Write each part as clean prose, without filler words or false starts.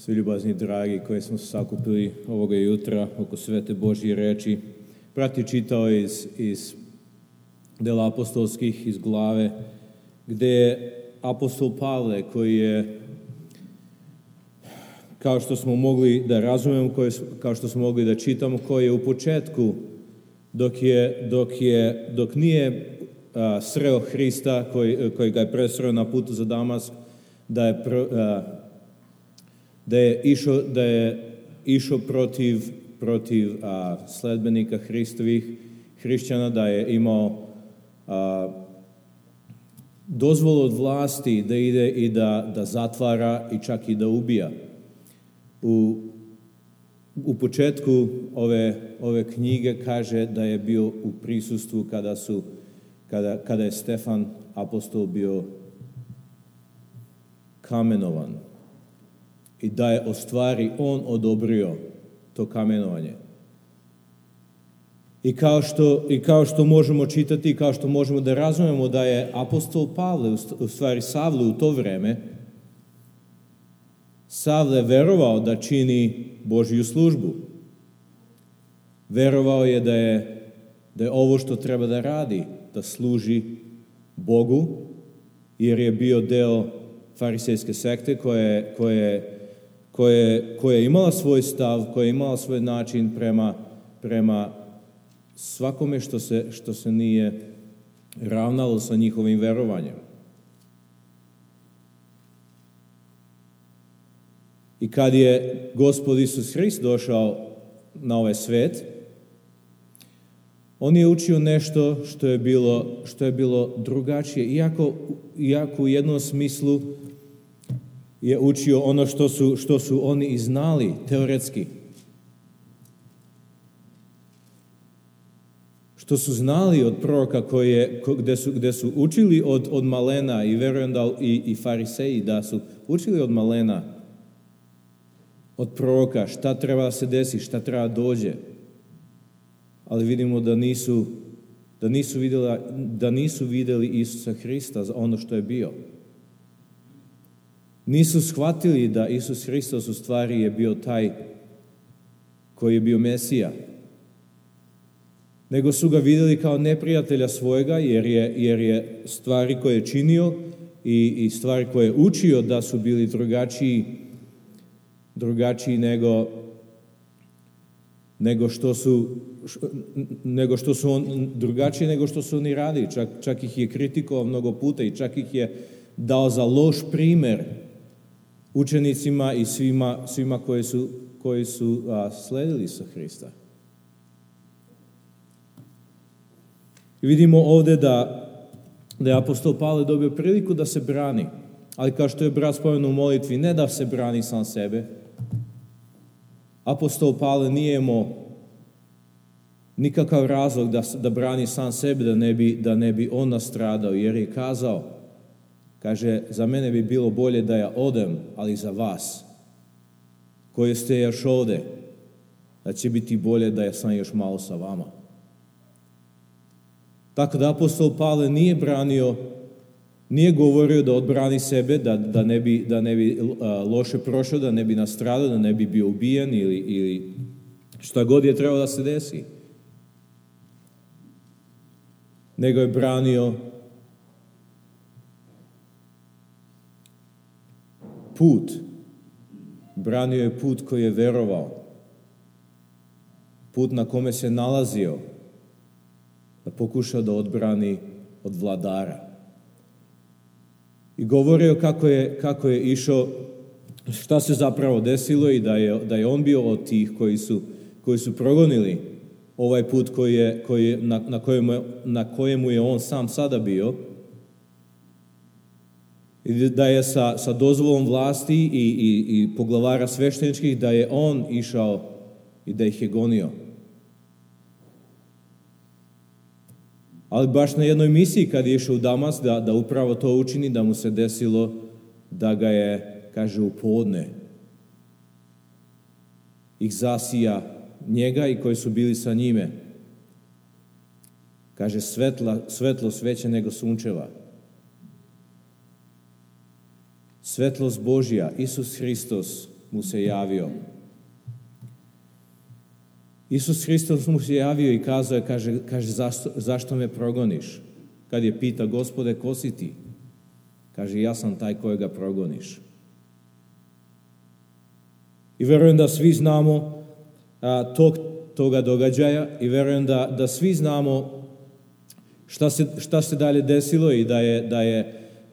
Svi ljubazni dragi koji smo se sakupili ovoga jutra oko svete Božje reči. Brat je čitao iz dela apostolskih, iz glave, gde je apostol Pavle, koji je, kao što smo mogli da razumemo, kao što smo mogli da čitamo, koji je u početku, dok nije sreo Hrista, koji ga je presreo na putu za Damask, da je išao protiv sledbenika Hristovih, hrišćana, da je imao dozvolu od vlasti da ide i da zatvara i čak i da ubija. U početku ove knjige kaže da je bio u prisustvu kada je Stefan apostol bio kamenovan i da je u stvari on odobrio to kamenovanje. I kao što možemo čitati, i kao što možemo da razumemo da je apostol Pavle, u stvari Savle u to vreme, Savle verovao da čini Božju službu. Verovao je da je ovo što treba da radi, da služi Bogu, jer je bio deo farisejske sekte koja je imala svoj stav, koja je imala svoj način prema svakome što se nije ravnalo sa njihovim verovanjem. I kad je Gospod Isus Hrist došao na ovaj svet, on je učio nešto što je bilo drugačije, iako u jednom smislu je učio ono što su oni i znali teoretski. Što su znali od proroka gde su učili od malena, i verujem da i fariseji da su učili od malena, od proroka, šta treba da se desi, šta treba da dođe. Ali vidimo da nisu videli Isusa Hrista za ono što je bio. Nisu shvatili da Isus Hristos u stvari je bio taj koji je bio Mesija. Nego su ga videli kao neprijatelja svojega, jer je stvari koje je činio i stvari koje je učio da su bili drugačiji nego što su oni radili. Čak ih je kritikovao mnogo puta i čak ih je dao za loš primer učenicima i svima koji su sledili sa Hrista. I vidimo ovde da je apostol Pavle dobio priliku da se brani, ali kao što je brat spomenuo u molitvi, ne da se brani sam sebe. Apostol Pavle nije imao nikakav razlog da brani sam sebe, da ne bi on nastradao, jer je kazao, kaže, za mene bi bilo bolje da ja odem, ali za vas, koji ste još ovde, da će biti bolje da ja sam još malo sa vama. Tako da apostol Pavle nije govorio da odbrani sebe, da ne bi loše prošao, da ne bi nastradao, da ne bi bio ubijen ili šta god je trebalo da se desi. Nego je branio put. Branio je put koji je verovao. Put na kome se nalazio, da pokuša da odbrani od vladara. I govorio kako je išao, šta se zapravo desilo i da je on bio od tih koji su progonili ovaj put na kojemu je on sam sada bio, i da je sa dozvolom vlasti i poglavara svešteničkih, da je on išao i da ih je gonio. Ali baš na jednoj misiji kad je išao u Damask da upravo to učini, da mu se desilo da ga je, kaže, u podne ih zasija njega i koji su bili sa njime. Kaže, svetlost veća nego sunčeva. Svetlost Božja, Isus Hristos, mu se javio. Isus Hristos mu se javio i kazao je, kaže zašto me progoniš? Kad je pita, Gospode, ko si ti? Kaže, ja sam taj kojega progoniš. I verujem da svi znamo toga događaja i verujem da svi znamo šta se dalje desilo i da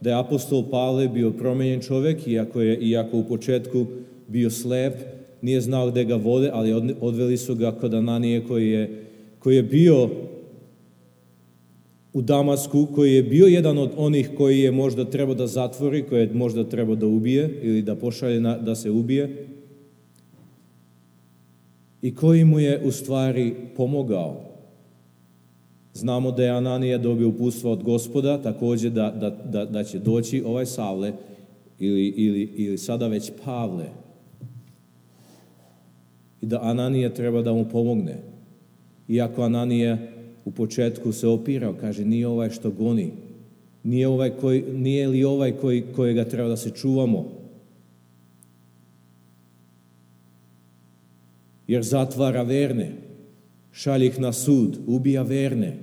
je apostol Pavle bio promijenjen čovjek, iako u početku bio slep, nije znao gdje ga vode, ali odveli su ga kod Ananije koji je bio u Damasku, koji je bio jedan od onih koji je možda trebao da zatvori, koji je možda trebao da ubije ili da pošalje da se ubije i koji mu je u stvari pomogao. Znamo da je Ananija dobio uputstva od Gospoda, također da će doći ovaj Savle ili sada već Pavle i da Ananija treba da mu pomogne. Iako Ananija u početku se opirao, kaže, nije ovaj što goni, nije li ovaj kojega treba da se čuvamo, jer zatvara verne, šalje ih na sud, ubija verne.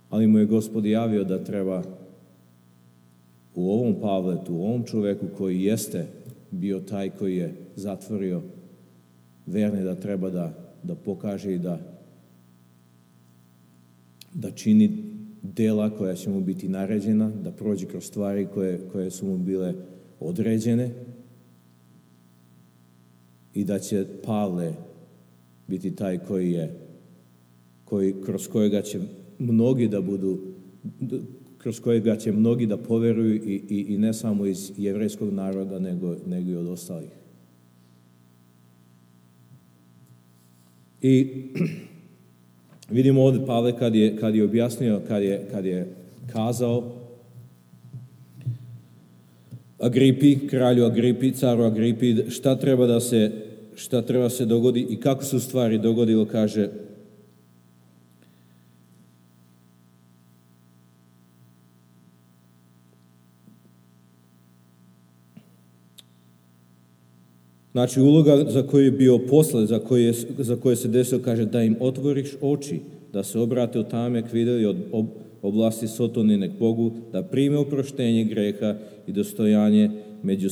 Ali mu je Gospod javio da treba u ovom Pavletu, u ovom čoveku koji jeste bio taj koji je zatvorio verne, da treba da pokaže i da čini dela koja će mu biti naređena, da prođe kroz stvari koje su mu bile određene i da će Pavle biti taj kroz kojega će mnogi da budu, kroz kojega će mnogi da poveruju i ne samo iz jevrejskog naroda, nego i od ostalih. I vidimo ovdje Pavle kad je objasnio, kad je kazao Agripi, kralju Agripi, caru Agripi, šta treba se dogodi i kako se u stvari dogodilo, kaže znači uloga za koju je bio posle, za koje se desilo, kaže da im otvoriš oči, da se obrate od tame k videli od oblasti sotonine k Bogu, da prime oproštenje greha i dostojanje među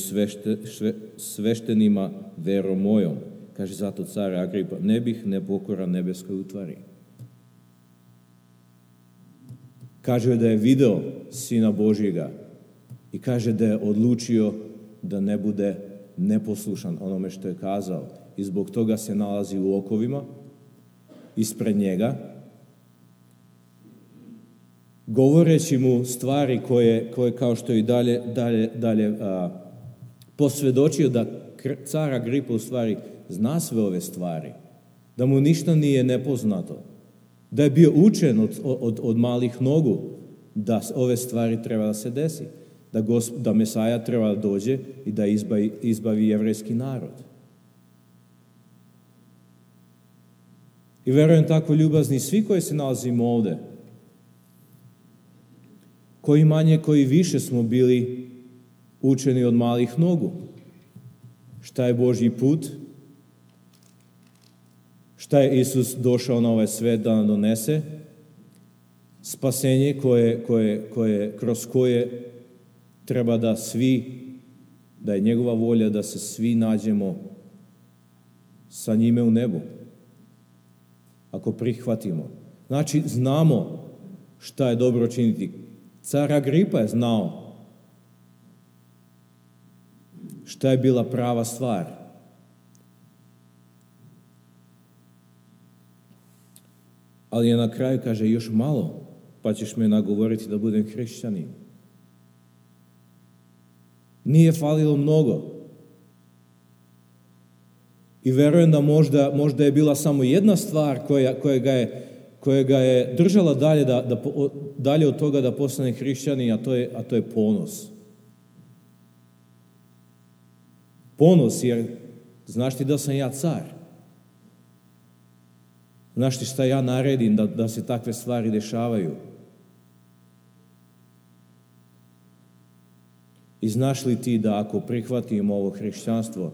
sveštenima verom mojom. Kaže zato car Agripa, ne bih nepokoran nebeskoj utvari. Kaže da je video Sina Božjega i kaže da je odlučio da ne bude neposlušan onome što je kazao i zbog toga se nalazi u okovima ispred njega, govoreći mu stvari koje kao što je i dalje posvjedočio da car Agripa u stvari zna sve ove stvari, da mu ništa nije nepoznato, da je bio učen od malih nogu da ove stvari treba da se desi, da Mesaja treba da dođe i da izbavi jevrejski narod. I verujem tako ljubazni svi koji se nalazimo ovde, koji manje, koji više smo bili učeni od malih nogu. Šta je Božji put? Šta je Isus došao na ovaj svet da nam donese? Spasenje kroz koje treba da je njegova volja da se svi nađemo sa njime u nebu. Ako prihvatimo. Znači, znamo šta je dobro činiti. Car Agripa je znao šta je bila prava stvar. Ali je na kraju kaže još malo, pa ćeš me nagovoriti da budem hrišćanin. Nije falilo mnogo. I verujem da možda je bila samo jedna stvar koja ga je držala dalje od toga da postane hrišćanin, a to je ponos. Ponos, jer znaš ti da sam ja car. Znaš ti šta ja naredim da se takve stvari dešavaju. I znaš li ti da ako prihvatim ovo hrišćanstvo,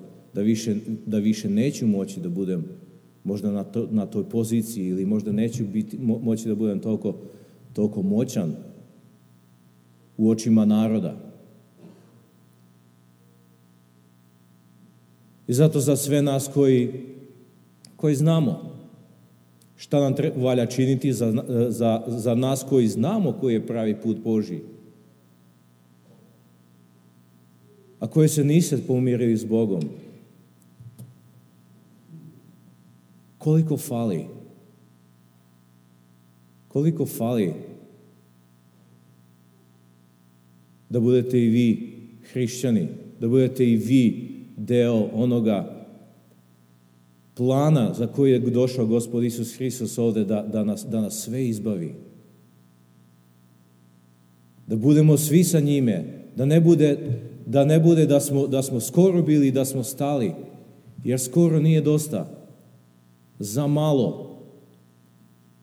da više neću moći da budem možda na toj poziciji ili možda neću moći da budem toliko moćan u očima naroda. I zato za sve nas koji znamo šta nam valja činiti, za nas koji znamo koji je pravi put Božji, a koji se niste pomirili s Bogom, koliko fali da budete i vi hrišćani, da budete i vi deo onoga plana za koji je došao Gospod Isus Hristos ovde da nas sve izbavi. Da budemo svi sa njime, da ne bude da smo skoro bili, da smo stali, jer skoro nije dosta. Za malo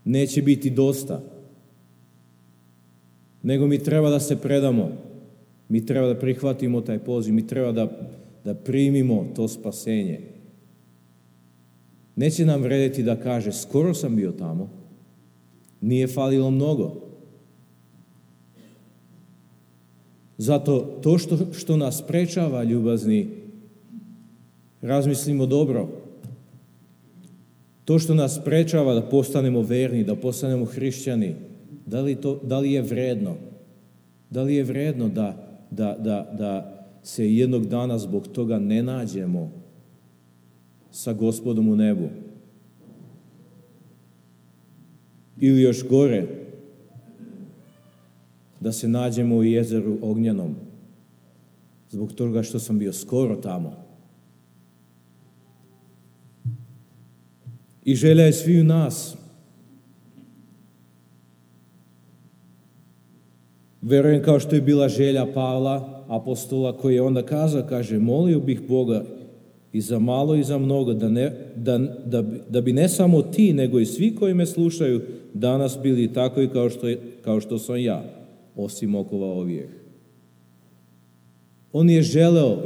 neće biti dosta. Nego mi treba da se predamo. Mi treba da prihvatimo taj poziv. Mi treba da primimo to spasenje. Neće nam vredeti da kaže, skoro sam bio tamo. Nije falilo mnogo. Zato to što nas sprečava, ljubazni, razmislimo dobro. To što nas sprečava da postanemo verni, da postanemo hrišćani, da li je vredno? Da li je vredno da se jednog dana zbog toga ne nađemo sa Gospodom u nebu? Ili još gore, da se nađemo u jezeru ognjenom zbog toga što sam bio skoro tamo. I želja je sviju nas. Verujem kao što je bila želja Pavla, apostola, koji je onda kazao, kaže, molio bih Boga i za malo i za mnogo, da bi ne samo ti, nego i svi koji me slušaju danas bili takvi kao što sam ja, osim okova ovijeh. On je želeo,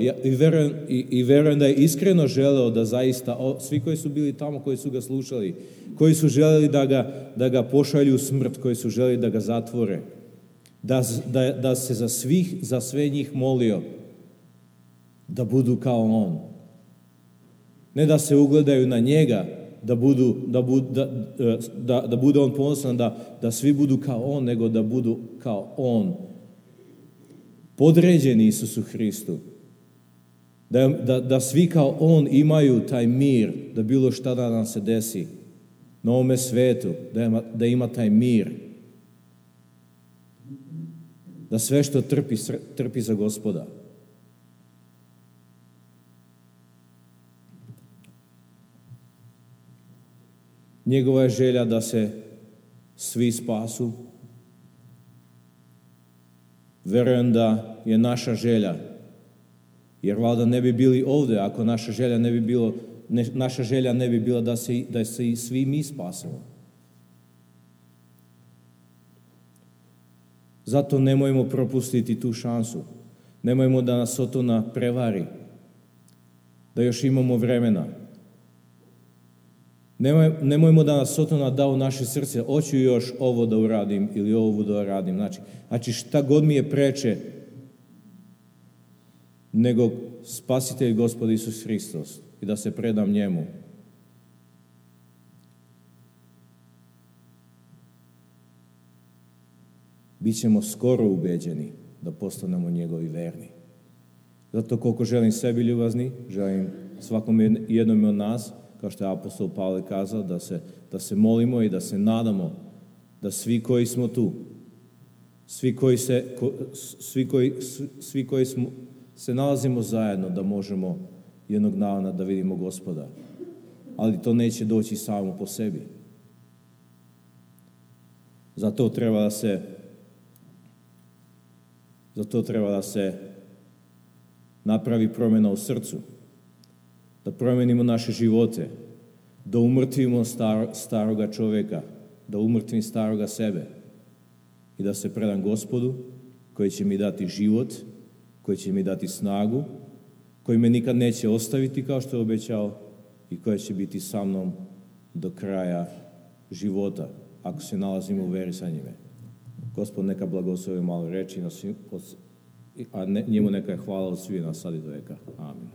i verujem da je iskreno želeo da zaista, svi koji su bili tamo, koji su ga slušali, koji su želeli da ga pošalju u smrt, koji su želeli da ga zatvore, da se za sve njih molio da budu kao on. Ne da se ugledaju na njega, da bude on ponosan, da svi budu kao on, nego da budu kao on. Podređeni Isusu Hristu. Da svi kao on imaju taj mir, da bilo šta da nam se desi na ovome svetu, da ima taj mir. Da sve što trpi za Gospoda. Njegova je želja da se svi spasu. Verujem da je naša želja, jer valjda ne bi bili ovde ako naša želja ne bi bila da se i svi mi spasimo. Zato nemojmo propustiti tu šansu. Nemojmo da nas Sotona prevari, da još imamo vremena. Nemojmo da nas Sotona da u naše srce, hoću još ovo da uradim ili ovo da uradim. Znači šta god mi je preče nego Spasitelj Gospod Isus Hristos i da se predam njemu. Bićemo skoro ubeđeni da postanemo njegovi verni. Zato koliko želim sebi ljubazni, želim svakom jednom od nas, kao što je apostol Pavle kazao, da se molimo i da se nadamo da svi koji smo tu, svi koji se nalazimo zajedno, da možemo jednog dana da vidimo Gospoda. Ali to neće doći samo po sebi. Zato treba da se napravi promjena u srcu, da promenimo naše živote, da umrtvimo staroga čovjeka, da umrtvim staroga sebe i da se predam Gospodu koji će mi dati život, koji će mi dati snagu, koji me nikad neće ostaviti kao što je obećao i koja će biti sa mnom do kraja života, ako se nalazimo u veri sa njime. Gospod neka blagoslovi malo reči, a njemu neka je hvala od svih nas sad i do veka. Amin.